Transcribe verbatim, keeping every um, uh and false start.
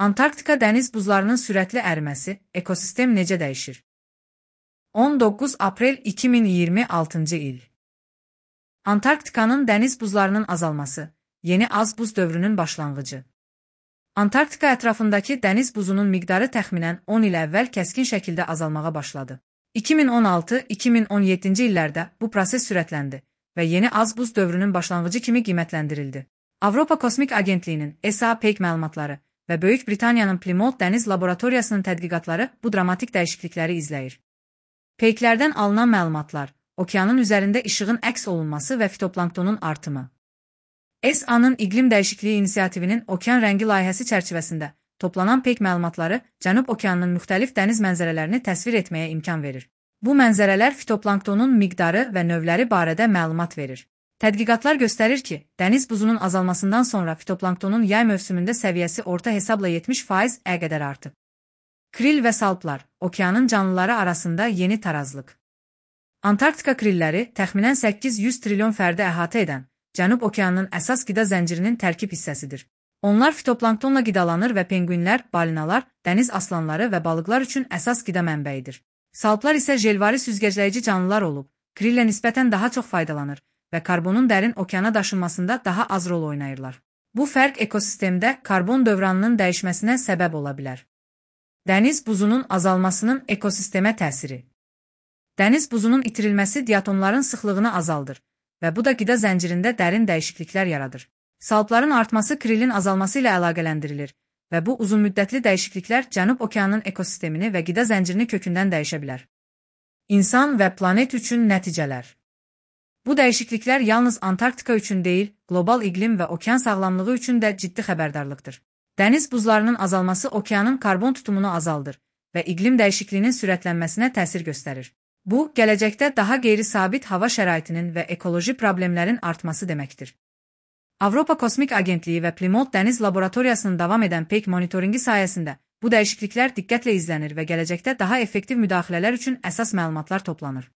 Antarktika dəniz buzlarının sürətli əriməsi, ekosistem necə dəyişir? on doqquz aprel iki min iyirmi altıncı il. Antarktikanın dəniz buzlarının azalması, yeni az buz dövrünün başlanğıcı. Antarktika ətrafındakı dəniz buzunun miqdarı təxminən on il əvvəl kəskin şəkildə azalmağa başladı. iki min on altı iki min on yeddinci illərdə bu proses sürətləndi və yeni az buz dövrünün başlanğıcı kimi qiymətləndirildi. Avropa Kosmik Agentliyinin E S A peyk məlumatları və Böyük Britaniyanın Plymouth Dəniz Laboratoriyasının tədqiqatları bu dramatik dəyişiklikləri izləyir. Peyklərdən alınan məlumatlar, okeanın üzərində işığın əks olunması və fitoplanktonun artımı. E S A-nın İqlim Dəyişikliyi İnisiativinin Okean Rəngi layihəsi çərçivəsində toplanan peyk məlumatları Cənub okeanının müxtəlif dəniz mənzərələrini təsvir etməyə imkan verir. Bu mənzərələr fitoplanktonun miqdarı və növləri barədə məlumat verir. Tədqiqatlar göstərir ki, dəniz buzunun azalmasından sonra fitoplanktonun yay mövsümündə səviyyəsi orta hesabla yetmiş faiz ə qədər artıb. Kril və salplar, okeanın canlıları arasında yeni tarazlıq. Antarktika krilləri təxminən səkkiz yüz trilyon fərdi əhatə edən Cənub okeanının əsas qida zəncirinin tərkib hissəsidir. Onlar fitoplanktonla qidalanır və penguinlər, balinalar, dəniz aslanları və balıqlar üçün əsas qida mənbəyidir. Salplar isə jelvari süzgəcləyici canlılar olub, krillə nisbətən daha çox faydalanır və karbonun dərin okeana daşınmasında daha az rol oynayırlar. Bu fərq ekosistemdə karbon dövranının dəyişməsinə səbəb ola bilər. Dəniz buzunun azalmasının ekosistemə təsiri. Dəniz buzunun itirilməsi diatomların sıxlığını azaldır və bu da qida zəncirində dərin dəyişikliklər yaradır. Salpların artması krilin azalması ilə əlaqələndirilir və bu uzunmüddətli dəyişikliklər Cənub okeanının ekosistemini və qida zəncirini kökündən dəyişə bilər. İnsan və planet üçün nəticələr. Bu dəyişikliklər yalnız Antarktika üçün deyil, qlobal iqlim və okean sağlamlığı üçün də ciddi xəbərdarlıqdır. Dəniz buzlarının azalması okeanın karbon tutumunu azaldır və iqlim dəyişikliyinin sürətlənməsinə təsir göstərir. Bu, gələcəkdə daha qeyri-sabit hava şəraitinin və ekoloji problemlərin artması deməkdir. Avropa Kosmik Agentliyi və Plymouth Dəniz Laboratoriyasının davam edən peyk monitoringi sayəsində bu dəyişikliklər diqqətlə izlənir və gələcəkdə daha effektiv müdaxilələr üçün əsas məlumatlar toplanır.